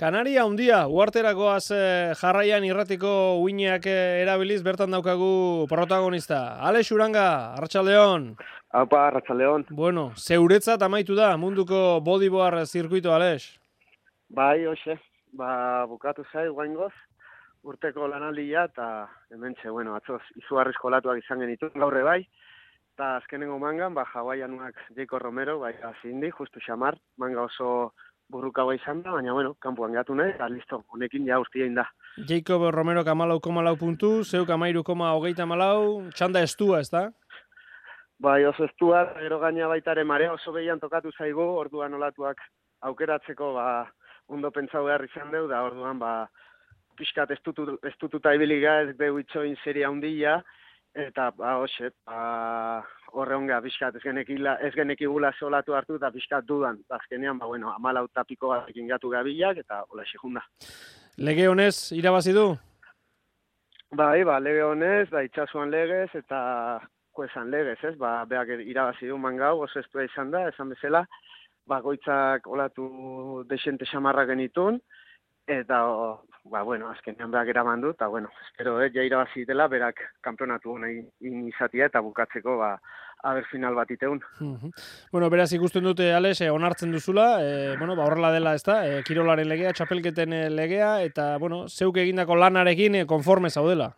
Kanaria handia, uharterakoaz jarraian irratiko uineak erabiliz, bertan daukagu protagonista. Alex Uranga, Arratsaldeon. Aupa, Arratsaldeon. Bueno, zeuretzat amaitu da munduko bodyboard zirkuito, Alex? Bai, hoxe, bukatu zai guaingoz, urteko lanaldia, eta hementxe, atzoz, izugarrizko olatuak izan genituen gaurre bai, eta azkenengo mangan, Hawaiianuak Jacob Romero, bai, azindi, justu xamar, manga oso burrukagoa izan da, baina, kanpoan gatu nahi, eta listo, honekin ja urtiein da. Jacob Romero 14,4 puntu, zeuk 13,34, txanda estua, ez da? Bai, oso estua, gero gaina baitare marea oso behian tokatu zaigu, orduan olatuak aukeratzeko, ondo pentsau behar izan deu, da orduan, pixkat estututa ibiliga, ez deu itxoin seria handia, eta, hoxe, horre honga, pixkat, ez genekigula olatu hartu, eta pixkat dudan, azkenean, 14 tapiko batekin gatu gabilak, eta hola xejunda. Lege honez, irabazi du? Bai, lege honez, itxasuan legez, eta kuesan legez, ez? Beak irabazi du mangau, oso estua izan da, esan bezala, goitzak olatu desente xamarra genitun, eta, azkenean beak eraman du, eta, espero, ja irabazi dela, berak kanpionatu nahi izatia, eta bukatzeko, aber final bat iteun. Beraz ikusten dute, Alex, onartzen duzula, horrela dela, ez da, kirolaren legea, txapelketen legea, eta, zeuk egindako lanarekin konforme zaudela.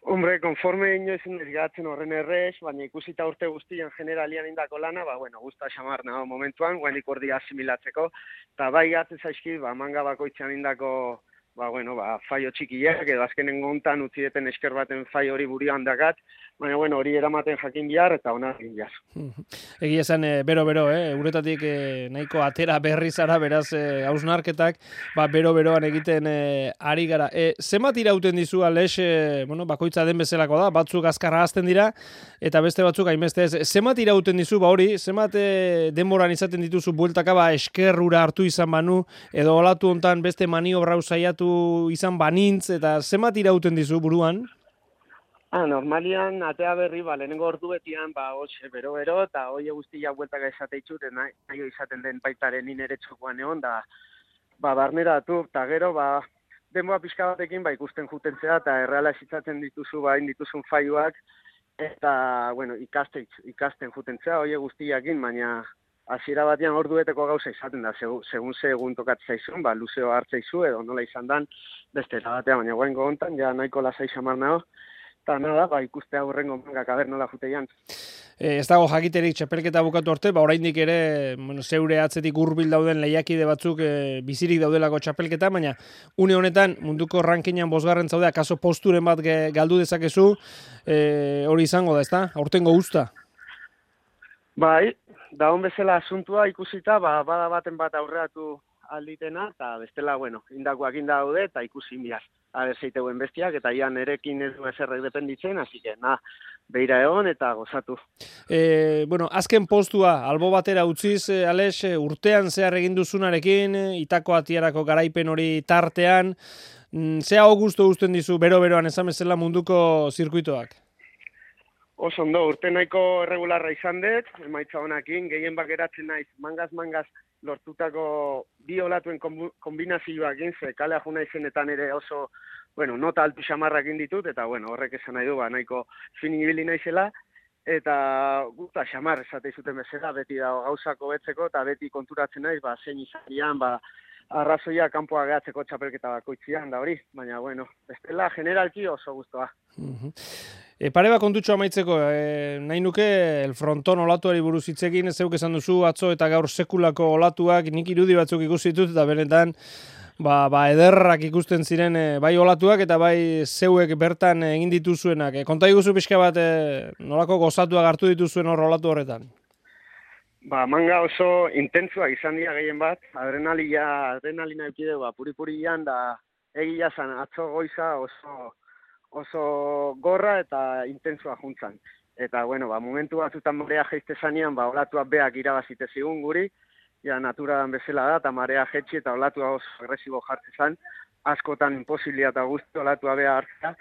Hombre, konforme inoiz gatzen horren errez, baina ikusita urte guztian generalian indako lana, guzta xamar nago momentuan, guainik ordi asimilatzeko, eta bai gatzen zaizki, manga bakoitzean indako, faio txikiak, edo azkenen gontan utzi deten esker baten faio hori burian dakat, baina hori eramaten jakin bihar eta ona egin bihar. Egia esan, bero-bero, uretatik nahiko atera berri zara, beraz, hausnarketak, bero-beroan egiten ari gara. Zenbat irauten dizu, Alex, bakoitza den bezalako da, batzuk azkarra hazten dira, eta beste batzuk hainbeste ez. Zenbat irauten dizu, hori, zenbat denboran izaten dituzu bueltaka, eskerrura hartu izan banu, edo olatu hontan beste maniobra saiatu izan banintz, eta zenbat irauten dizu buruan? Normalian, atea berri, lehenengo orduetian, hoxe, bero-bero, eta hoie guztiak bueltaka esate itxut, nahi izaten den baitaren nire txokoan egon, da, barneratu, eta gero, denboa pixka batekin, ikusten jutentzea, eta erreala esitzatzen dituzu, dituzun faioak, eta, ikasten jutentzea, hoie guztiakin, baina, hasiera batean ordueteko gauza izaten da, segun tokatzea izun, luzeo hartzeizu, edo nola izan dan, beste batean, baina guaingo hontan, ja nahiko lasai xamar nago, eta nada, ikustea hurrengo mangak aber nola juteian. Ez dago jakiterik txapelketa bukatu arte, oraindik ere, zeure atzetik hurbil dauden lehiakide batzuk bizirik daudelako txapelketa, baina une honetan munduko rankingan 5. zaude, akaso posturen bat galdu dezakezu, hori izango da, ezta? Aurtengo guzta? Bai, da hon bezala asuntua ikusita, bada baten bat aurreatu alditena, eta bestela, indakoak daude, eta ikusi bihar. Zeiteuen bestiak, eta ian erekin ez du eserrek dependitzen, hasi que, beira egon eta gozatu. Azken postua, albo batera utziz, Alex, urtean zehar egin duzunarekin, Itako Atierako garaipen hori tartean, zea gustu uzten dizu, bero-beroan esan bezala munduko zirkuitoak? Oso ondo, urte nahiko erregularra izan dut, emaitza honakin, gehien bakeratzen naiz, mangaz lortutako bi olatuen kombinazioak ze kalea juna izenetan ere oso, nota altu xamarrak ditut, eta horrek esan nahi du, nahiko finin ibili naizela, eta guta xamar esate zuten bezala, beti da gauzako betzeko, eta beti konturatzen naiz, zein izanian, arrazoia kanpoa gehatzeko txapelketa bakoitzian, da hori, baina, bestela, generalki oso guztua. Pare bat kontutxo amaitzeko, nahi nuke el fronton olatuari buruz hitzekin, zeuk esan duzu atzo eta gaur sekulako olatuak, nik irudi batzuk ikusi ditut, eta benetan ederrak ikusten ziren bai olatuak eta bai zeuek bertan egin dituzuenak. Konta iguzu pixka bat nolako gozatuak hartu dituzuen hor olatu horretan? Manga oso intentsuak izan dira gehien bat, adrenalina eukide, puri-purian, da egia zan atzo goiza oso gorra eta intentsua juntzan. Eta, momentu batzutan marea jeizte zanean, olatuak beak irabazite zigun guri, ja naturadan bezala da, eta marea jetxi eta olatua oso agresibo jartzen zan, askotan imposibilia eta guzti olatua bea hartzea,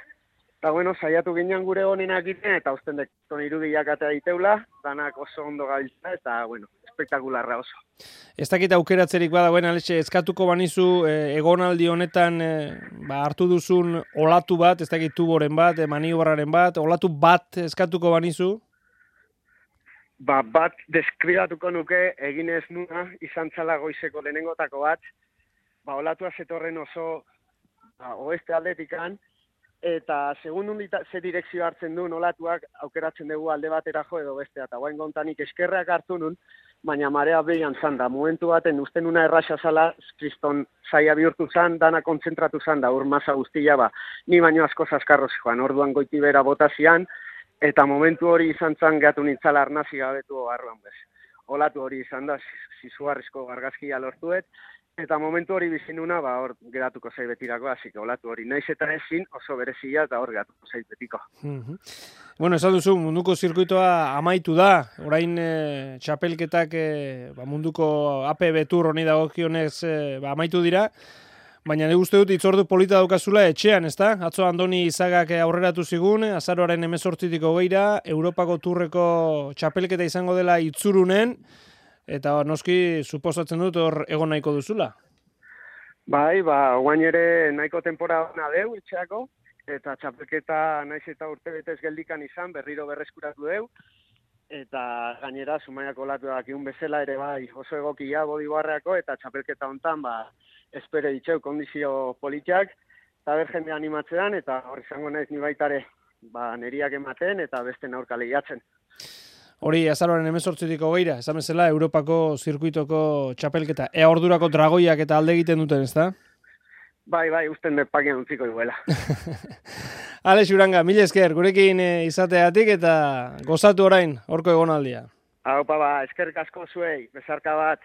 bueno, saiatu ginen gure honenak egiten, eta usten dekton irudiak atea diteula, danak oso ondo gabiltza, eta, bueno, espektakularra oso. Ez dakit aukeratzerik badagoen, Alexe, eskatuko banizu egonaldi honetan hartu duzun olatu bat, ez dakit tuboren bat, maniobraren bat, olatu bat eskatuko banizu? Bat deskribatuko nuke, egin ez nuna, izan zala goizeko lehenengotako bat, olatua zetorren oso oeste aldetikan, eta segun ze direkzio hartzen duen olatuak aukeratzen dugu alde batera jo edo bestea, eta guain gontanik eskerrak hartu nun, baina marea behian zan da, momentu baten usten una erraxa zala, kriston zaila bihurtu zan, dana kontzentratu zan da, masa guztia ni baino asko zaskarroz joan, orduan goiti bera botazian, eta momentu hori izan zan gehatu nintzala arnazi gabetu barruan bez. Olatu hori izan da, zizugarrizko argazkia lortuet, eta momentu hori bizinuna, hor geratuko zait betirako, hasik olatu hori naiz eta ezin oso berezia eta hor geratuko zait betiko. Bueno, esan duzu, munduko zirkuitoa amaitu da, orain txapelketak munduko APB Tour honi dagokionez amaitu dira, baina ne uste dut itzordu polita daukazula etxean, ezta? Atzo Andoni Izagak aurreratu zigun, azaroaren 18tik 20ra, Europako Tourreko txapelketa izango dela Itzurunen, eta noski suposatzen dut hor egon nahiko duzula. Bai, guain ere nahiko tempora hona deu etxeako, eta txapelketa naiz eta urte betez geldikan izan, berriro berreskuratu deu, eta gainera Zumaiako olatuak iun bezala ere bai oso egokia bodibarreako, eta txapelketa hontan espero ditxeu kondizio politiak, eta ber jende animatzean, eta hor izango naiz ni baitare neriak ematen, eta beste aurka lehiatzen. Hori, azaroaren 18tik 20ra, esan bezala, Europako zirkuitoko txapelketa. Ea ordurako dragoiak eta alde egiten duten, ezta? Bai, usten pakian utziko iguela. Alex Uranga, mila esker, gurekin izateatik eta gozatu orain, horko egonaldia. Haupa eskerrik asko zuei, bezarka bat.